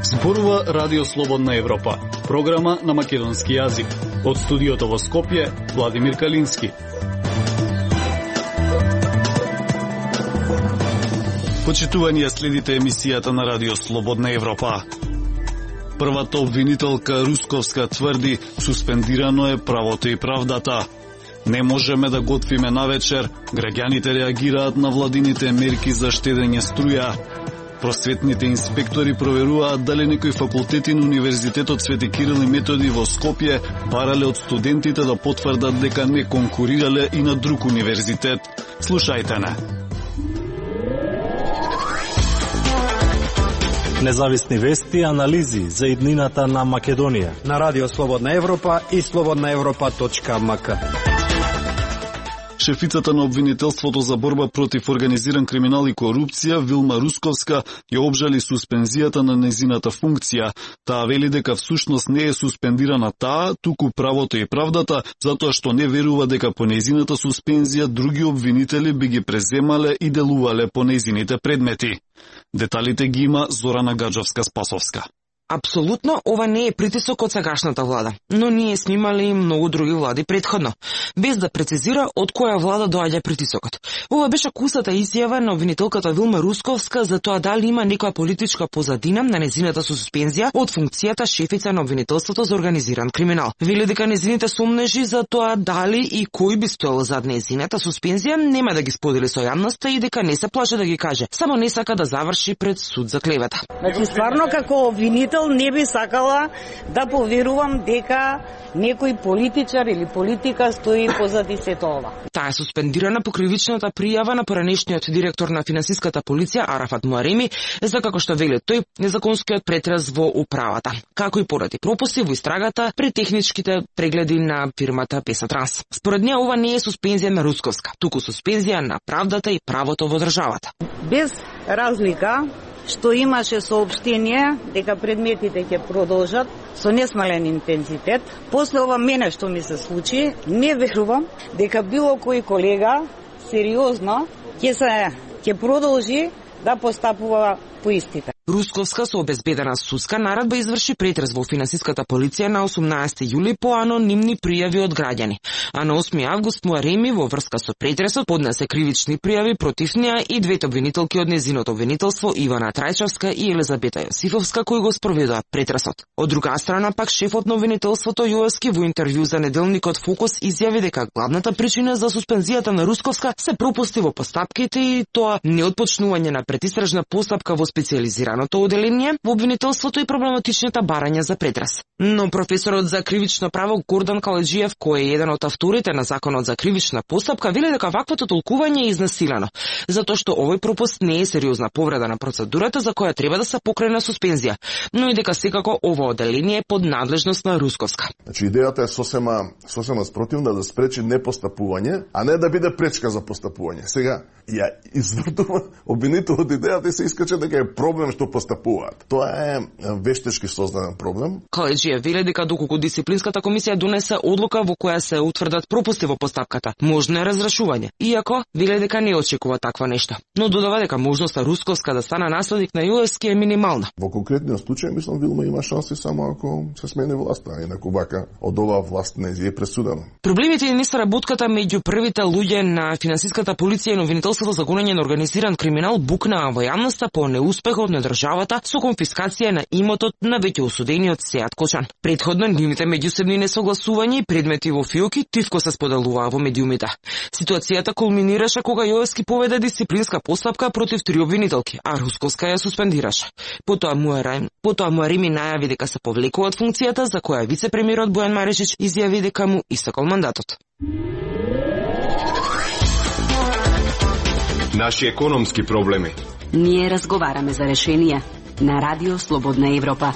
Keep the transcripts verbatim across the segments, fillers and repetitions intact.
Зборува Радио Слободна Европа, програма на македонски јазик. Од студиото во Скопје, Владимир Калински. Почитување, следите емисијата на Радио Слободна Европа. Првата обвинителка Русковска тврди, суспендирано е правото и правдата. Не можеме да готвиме навечер, граѓаните реагираат на владините мерки за штедење струја. Просветните инспектори проверуваат дали некои факултети на Универзитетот Свети Кирил и Методи во Скопје барале од студентите да потврдат дека не конкурирале и на друг универзитет. Слушајте не. Независни вести и анализи за иднината на Македонија на Радио Слободна Европа и слободна европа точка ем ка. Шефицата на обвинителството за борба против организиран криминал и корупција Вилма Русковска ја обжали суспензијата на незината функција. Таа вели дека всушност не е суспендирана таа, туку правото и правдата, затоа што не верува дека по незината суспензија други обвинители би ги преземале и делувале по незините предмети. Деталите ги има Зорана Гаджовска-Спасовска. Апсолутно, ова не е притисок од сегашната влада, но ние сме имали и многу други влади предходно, без да прецизира од која влада доаѓа притисокот. Ова беше кусата изјава на обвинителката Вилма Русковска за тоа дали има некоја политичка позадина на незината суспензија од функцијата шефица на обвинителството за организиран криминал. Вели дека незините сомнежи за тоа дали и кој би стоел зад незината суспензија нема да ги сподели со јавноста и дека не се плаше да ги каже, само не сака да заврши пред суд за клевета. Значи стварно како обвинител не би сакала да поверувам дека некој политичар или политика стои позади сето ова. Таа е суспендирана по кривичната пријава на поранешниот директор на финансиската полиција Арафат Муареми за, како што вели тој, незаконскиот претрес во управата, како и поради пропусти во истрагата пред техничките прегледи на фирмата Песатранс. Според неа ова не е суспензија на Русковска, туку суспензија на правдата и правото во државата. Без разлика што имаше соопштение дека предметите ќе продолжат со несмален интензитет. После ова мене што ми се случи, не верувам дека било кој колега сериозно ќе се ќе продолжи да постапува по истите. Русковска со обезбедена судска наредба изврши претрес во финансиската полиција на осумнаесети јули по анонимни пријави од граѓани, а на осми август Муареми во врска со претресот поднесе кривични пријави против неа и двете обвинителки од незиното обвинителство Ивана Трајчовска и Елизабета Јосифовска кои го спроведоа претресот. Од друга страна пак шефот на обвинителството Јоевски во интервју за неделникот Фокус изјави дека главната причина за суспензијата на Русковска се пропусти во постапките и тоа неотпочнување на предистражна постапка во специјализираното оделение во обвинителството и проблематичните барања за претрес. Но професорот за кривично право Гордан Каледжиев, кој е еден од авторите на законот за кривична постапка, вели дека ваквото толкување е изнасилено, затоа што овој пропуст не е сериозна повреда на процедурата за која треба да се покрене суспензија, но и дека секако ова оделение е под надлежност на Русковска. Значи идејата е сосема сосема спротивна, да спречи непостапување, а не да биде пречка за постапување. Сега ја извртува обвинителот идејата и се искача дека е проблем што постапуваат. Тоа е вештечки создаден проблем. Каледжиев вели дека доколку дисциплинската комисија донесе одлука во која се утврдат пропусти во постапката, можно е разрешување. Иако вели дека не очекува таква нешто, но додава дека можноста Русковска да стане наследник на Јоевски е минимална. Во конкретниот случај мислам Вилма има шанси само ако се смени власта, инаку вака од оваа власт не е пресудено. Проблемите не се работката меѓу првите луѓе на финансиската полиција и на обвинителството за гонење на организиран криминал букнаа во јавноста по неуспехот на државата со конфискација на имотот на веќе осудениот Сеат Кочан. Предходно нивните меѓусебни несогласувања и предмети во фиоки тивко се споделуваа во медиумите. Ситуацијата кулминираше кога Јоевски поведе дисциплинска постапка против три обвинителки, а Русковска ја суспендираше. Потоа Муарем, потоа Муареми најави дека се повлекува од функцијата за која вице-премиерот Бојан Марешич изјави дека му истекол мандатот. Наши економски проблеми. Ние разговараме за решенија на Радио Слободна Европа.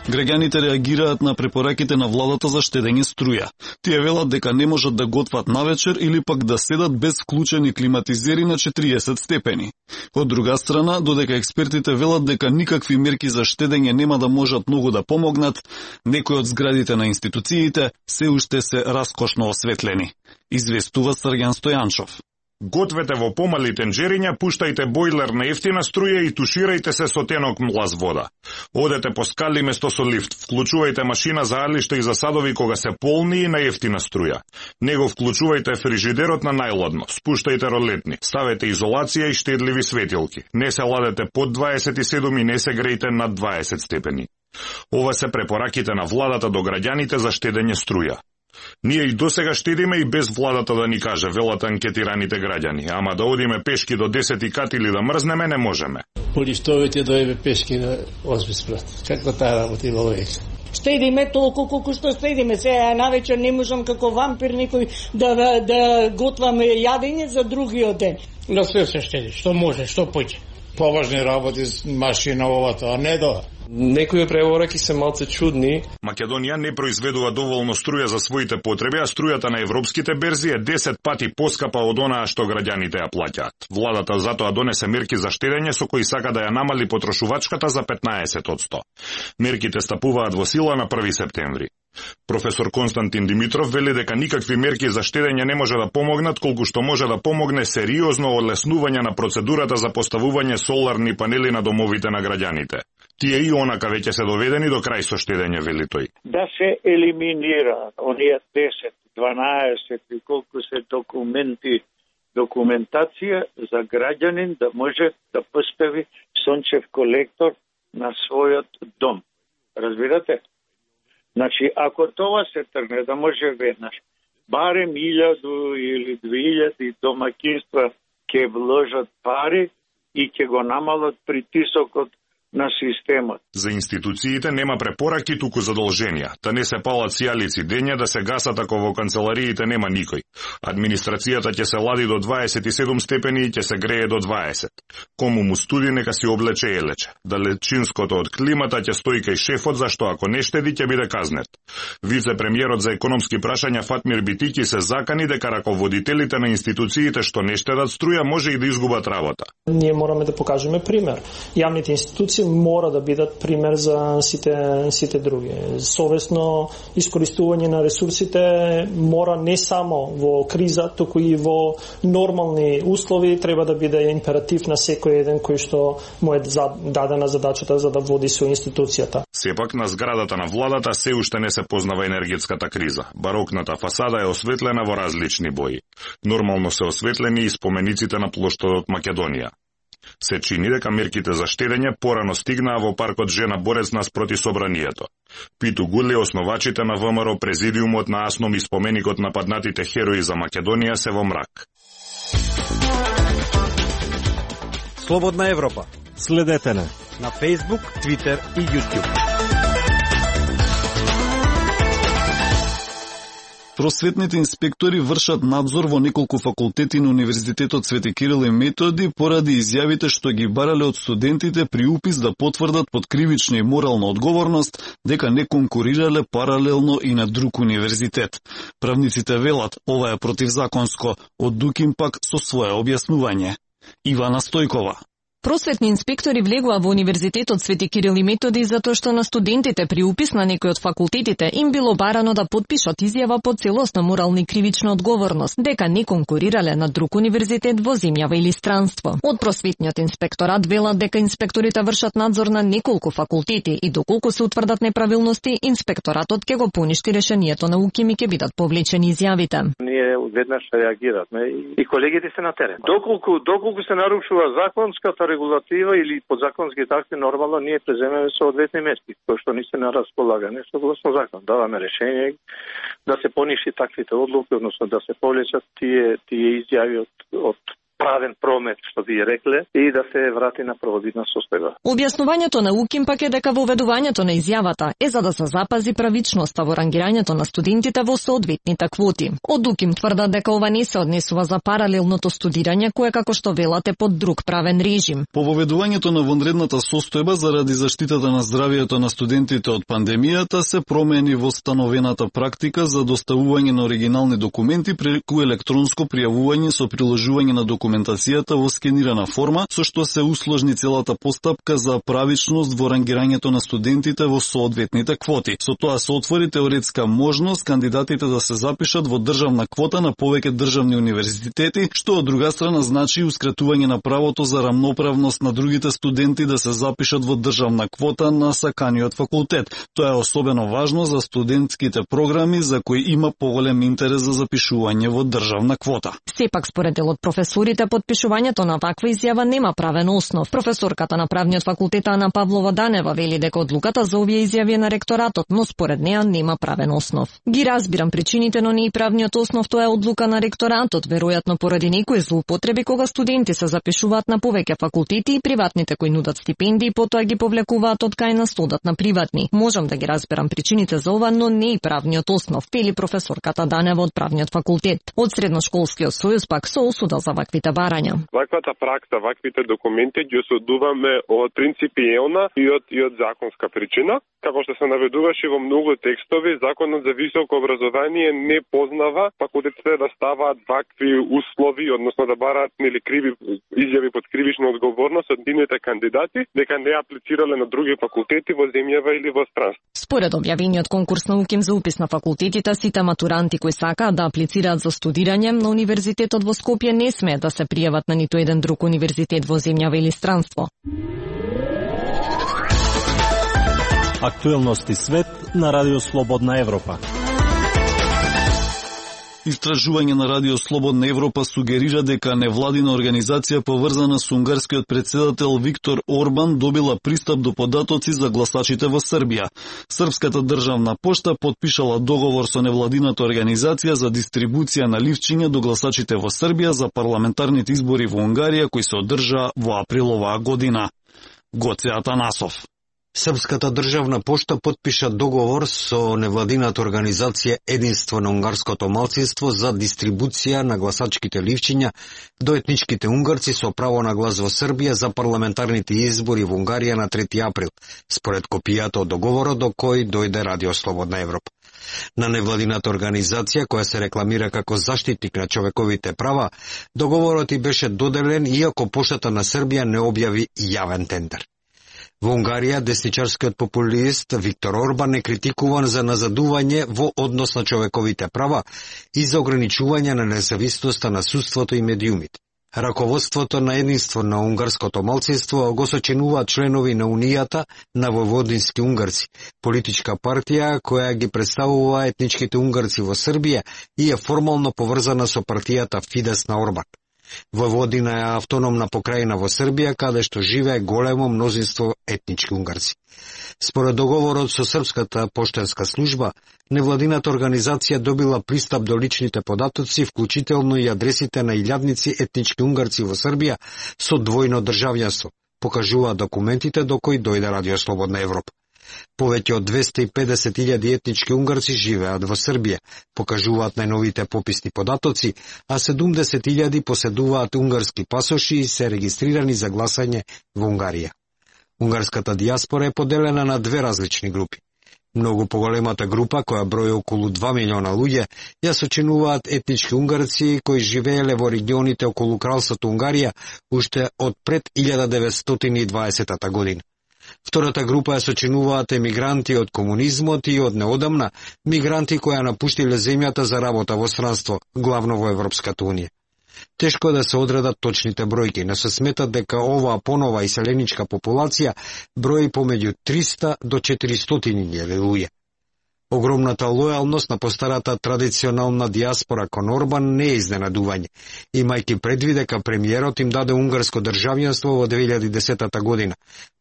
Граѓаните реагираат на препораките на владата за штедење струја. Тие велат дека не можат да готват навечер или пак да седат без вклучени климатизери на четириесет степени. Од друга страна, додека експертите велат дека никакви мерки за штедење нема да можат многу да помогнат, некои од зградите на институциите се уште се раскошно осветлени. Известува Срѓан Стојанчов. Гответе во помали тенџериња, пуштајте бойлер на ефтина струја и туширајте се со тенок млаз вода. Одете по скали место со лифт, вклучувајте машина за алишта и за садови кога се полни и на ефтина струја. Него вклучувајте фрижидерот на најладно, спуштајте ролетни, ставете изолација и штедливи светилки. Не се ладете под дваесет и седум и не се грејте над дваесет степени. Ова се препораките на владата до граѓаните за штедење струја. Ние и досега штедиме и без владата да ни каже, велат анкетираните граѓани, ама да одиме пешки до десети кат или да мрзнеме не можеме. По лифтовите доеме пешки на осми спрат. Како таа работа има логика? Штедиме толку колку што штедиме. Сега навечер не можам како вампир некој да, да готваме јадење за другиот ден. На све се штеди, што може, што поќе. Поважни работи с машина овато, а не до. Некои препораки се малце чудни. Македонија не произведува доволно струја за своите потреби, а струјата на европските берзи е десет пати поскапа од онаа што граѓаните ја плаќаат. Владата затоа донесе мерки за штедење со кои сака да ја намали потрошувачката за петнаесет одсто. Мерките стапуваат во сила на први септември. Професор Константин Димитров вели дека никакви мерки за штедење не може да помогнат, колку што може да помогне сериозно олеснување на процедурата за поставување соларни панели на домовите на граѓаните. Тие и онака веќе се доведени до крај со штедење, вели тој. Да се елиминира оние десет, дванаесет и колку се документи, документација за граѓанин да може да постави сончев колектор на својот дом. Разбирате? Значи, ако тоа се тргне да може веднаш, барем илјаду или две илјади домакинства ќе вложат пари и ќе го намалат притисокот на системот. За институциите нема препораки, туку задолженија. Та не се палат сијалици дења, да се гасат ако во канцелариите нема никој. Администрацијата ќе се лади до дваесет и седум степени и ќе се грее до дваесет. Кому му студи, нека си облече елече. Далечинското од климата ќе стои кај шефот, зашто ако не штеди ќе биде казнет. Вице-премиерот за економски прашања Фатмир Битики се закани дека раководителите на институциите што не штедат струја може и да изгубат работа. Ние мораме да покажеме пример. Јавните институции мора да бидат пример за сите сите други. Совесно искористување на ресурсите мора не само во криза, туку и во нормални услови треба да биде императив на секој еден кој што му е дадена задачата за да води со институцијата. Сепак на зградата на владата се уште не се познава енергетската криза. Барокната фасада е осветлена во различни бои. Нормално се осветлени и спомениците на плоштадот Македонија. Се чини дека мерките за штедење порано стигнаа во паркот Жена Борец наспроти собранието. Питу Гуле, основачите на ВМРО, президиумот на АСНОМ и споменикот на паднатите херои за Македонија се во мрак. Слободна Европа. Следете не на Facebook, Twitter и YouTube. Просветните инспектори вршат надзор во неколку факултети на Универзитетот Свети Кирил и Методи поради изјавите што ги барале од студентите при упис да потврдат под кривична и морална одговорност дека не конкурирале паралелно и на друг универзитет. Правниците велат ова е противзаконско, од Дукин пак со свое објаснување. Ивана Стојкова. Просветни инспектори влегува во Универзитетот Свети Кирил и Методи затоа што на студентите при упис на некој од факултетите им било барано да потпишат изјава по целосна морална и кривична одговорност, дека не конкурирале на друг универзитет во земјава или странство. Од просветниот инспекторат велат дека инспекторите вршат надзор на неколку факултети и доколку се утврдат неправилности, инспекторатот ќе го поништи решението на УКИМ и ќе бидат повлечени изјавите. Ние веднаш реагиравме и колегите се на терен. Доколку доколку се нарушува законската регулатива или подзаконски такви, нормално ние преземеме соодветни мерки, кои што ни се на располагање согласно закон. Даваме решение да се поништи таквите одлуки, односно да се повлечат тие тие изјави од од правен промет, што ви рекле, и да се врати на prvobitna состојба. Објаснувањето на УКИМ пак е дека воведувањето на изјавата е за да се запази правичноста во рангирањето на студентите во соодветните квоти. Од УКИМ тврдат дека ова не се однесува за паралелното студирање кое како што велате под друг правен режим. По воведувањето на вонредната состојба заради заштитата на здравието на студентите од пандемијата се промени во становената практика за доставување на оригинални документи преку електронско пријавување со приложување на документацијата во скенирана форма, со што се усложни целата постапка за правичност во рангирањето на студентите во соодветните квоти. Со тоа се отвори теоретска можност кандидатите да се запишат во државна квота на повеќе државни универзитети, што од друга страна значи ускратување на правото за рамноправност на другите студенти да се запишат во државна квота на саканиот факултет. Тоа е особено важно за студентските програми за кои има поголем интерес за запишување во државна квота. Сепак според дел од професорите подпишувањето на ваква изјава нема правен основ. Професорката на правниот факултет Ана Павлова Данева вели дека одлуката за овие изјави е на ректоратот, но според неа нема правен основ. Ги разбирам причините, но не и правниот основ, тоа е одлука на ректоратот, веројатно поради некои злоупотреби кога студенти се запишуваат на повеќе факултети и приватните кои нудат стипендии потоа ги повлекуваат од кај на студат на приватни. Можам да ги разберам причините за ова, но не и правниот основ, вели професорката Данева од правниот факултет. Од средношколскиот сојуз пак со осуда за ваквите барања. Ваквата пракса, ваквите документи ги осудуваме од принципиелна и од и од законска причина. Како што се наведуваше во многу текстови, законот за високо образование не познава факултетите да ставаат вакви услови, односно да бараат нели криви изјави под кривична одговорност од нивните кандидати, дека не аплицирале на други факултети во земјава или во странство. Според објавениот конкурс на УКИМ за упис на факултетите, сите матуранти кои сакаат да аплицираат за студирање на универзитетот во Скопје не смеат да се пријават на ниту еден друг универзитет во земјава или странство. Актуелности свет на Радио Слободна Европа. Истражување на Радио Слободна Европа сугерира дека невладина организација поврзана со унгарскиот претседател Виктор Орбан добила пристап до податоци за гласачите во Србија. Српската државна пошта потпишала договор со невладината организација за дистрибуција на ливчиња до гласачите во Србија за парламентарните избори во Унгарија кои се одржаа во април оваа година. Гоце Атанасов. Српската државна пошта потпиша договор со невладината организација Единство на унгарското малцинство за дистрибуција на гласачките ливчиња до етничките унгарци со право на глас во Србија за парламентарните избори во Унгарија на трети април, според копијата од договорот до кој дојде Радио Слободна Европа. На невладината организација, која се рекламира како заштитник на човековите права, договорот и беше доделен иако поштата на Србија не објави јавен тендер. Во Унгарија, десничарскиот популист Виктор Орбан е критикуван за назадување во однос на човековите права и за ограничување на независноста на судството и медиумите. Раководството на Единство на унгарското малцинство го сочинуваат членови на Унијата на војводински унгарци, политичка партија која ги представува етничките унгарци во Србија и е формално поврзана со партијата Фидес на Орбан. Војводина е автономна покрајина во Србија, каде што живее големо мнозинство етнички унгарци. Според договорот со Српската поштенска служба, невладината организација добила пристап до личните податоци, вклучително и адресите на илјадници етнички унгарци во Србија со двојно државјанство, покажуваат документите до кои дојде Радио Слободна Европа. Повеќе од двесте и педесет илјади етнички унгарци живеат во Србија, покажуваат најновите пописни податоци, а седумдесет илјади поседуваат унгарски пасоши и се регистрирани за гласање во Унгарија. Унгарската дијаспора е поделена на две различни групи. Многу поголемата група, која брои околу два милиона луѓе, ја сочинуваат етнички унгарци кои живееле во регионите околу кралството Унгарија уште од пред илјада деветстотини и дваесета година. Втората група ја сочинуваат емигранти од комунизмот и од неодамна мигранти кои ја напуштиле земјата за работа во странство, главно во Европската унија. Тешко е да се одредат точните бројки, но се сметат дека оваа понова иселеничка популација брои помеѓу триста до четиристотини илјади луѓе. Огромната лојалност на постарата традиционална дијаспора кон Орбан не е изненадување, имајќи предвид дека премиерот им даде унгарско државјанство во две илјади и десета година,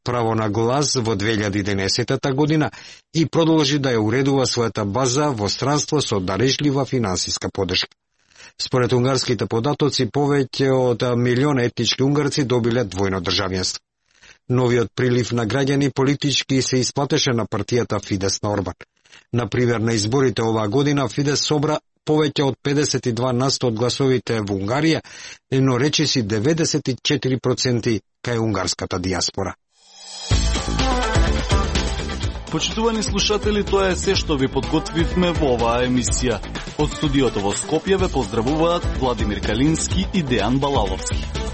право на глас во две илјади и единаесета година и продолжи да ја уредува својата база во странство со дарежлива финансиска подршка. Според унгарските податоци, повеќе од милион етнички унгарци добиле двојно државјанство. Новиот прилив на граѓани политички се исплатеше на партијата Фидес на Орбан. Например, на изборите оваа година Фидес собра повеќе од педесет и два на сто од гласовите во Унгарија, но речиси деветдесет и четири проценти кај унгарската диаспора. Почитувани слушатели, тоа е се што ви подготвивме во оваа емисија. Од студиото во Скопје ве поздравуваат Владимир Калински и Дејан Балаловски.